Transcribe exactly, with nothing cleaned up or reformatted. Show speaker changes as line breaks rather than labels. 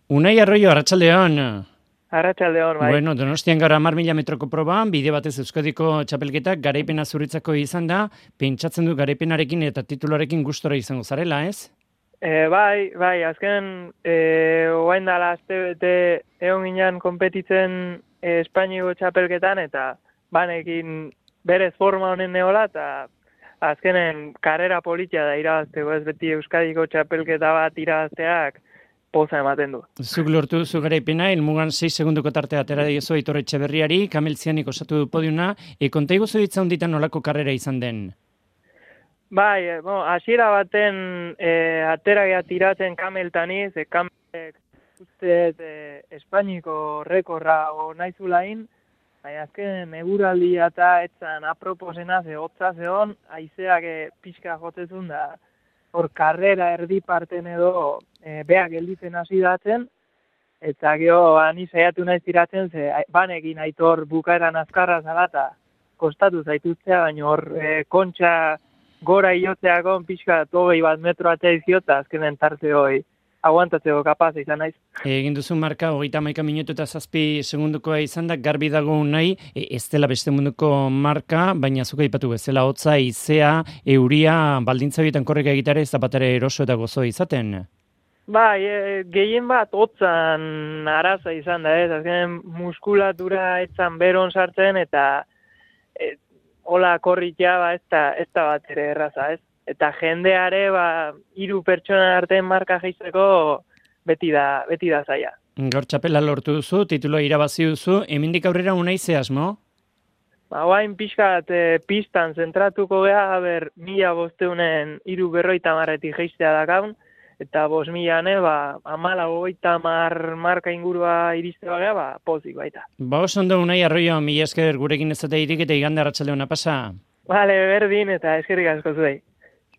Unai Arroyo, arratsaldeon.
Arratsaldeon, bai.
Bueno, Donostian gara hamar mila metroko proban, bide batez Euskadiko txapelketak garaipena zuritzako izan da, pentsatzen du garaipenarekin eta titularekin gustora izango zarela, ez?
E, bai, bai, azken, e, oain dala azte bete egon ginen konpetitzen e, Espainiko txapelketan, eta banekin berez forma honen neola, eta azkenen karrera politia da irabazteko, ez beti Euskadiko txapelketa bat irabazteak poza ematen du.
Zuk lortu duzu garaipena, helmugan sei segundoko tartea atera diezu Aitor Etxeberriari, Kamel Zianik osatu du podiuna, e, konta iguzu ditza honditan nolako karrera izan den?
Bai, e, bon, hasiera baten e, atera geha tiratzen Kameltaniz, e, Kamelek uste e, Espainiko rekorra o naizulain, baina azken eguraldia eta etzan aproposena ze hotza zeon, haizeak e, pixka jotezun da, hor karrera erdi parten edo e, beak gelditzen hasi datzen, eta gero ani saiatu naiz tiratzen, ze banekin Aitor bukaeran azkarra zalata kostatu zaitutzea, baina hor e, kontxa gora iotzeakon pixka hogei bat metro atzea iziota, azkenen tarte hoi aguantatzeko kapaz izan naiz.
Egin duzu marka, hogeita hamaika minutu eta zazpi segundukoa izan da, garbi dago nahi, e, ez dela beste munduko marka, baina zuka ipatu bezala hotza, izea, euria, baldintza bietan korreka egitare ez da batare eroso eta gozo izaten.
Bai, e, gehien bat hotzan araza izan da, ez, azken muskulatura etzan beron sartzen, eta e, hola korritea ba, ez da, ez da bat ere erraza, ez. Eta jendeare, ba, hiru pertsona artean marka jaisteko beti da, beti da zaila.
Gaur txapela lortu duzu, tituloa irabazi duzu, hemendik aurrera unai ze asmo?
Ba, guain pixkat e, pistan zentratuko geha, ber, mila bosteunen hiru berroita marretik jaistea dakaun, eta bost milane, ba, amala goita mar marka ingurua iriste bagea, ba, pozik baita.
Ba, oso ondo Unai Arroyo, mila esker gurekin ez eta irik eta igande arratsalde ona pasa.
Vale, berdin eta eskerrik asko zuei.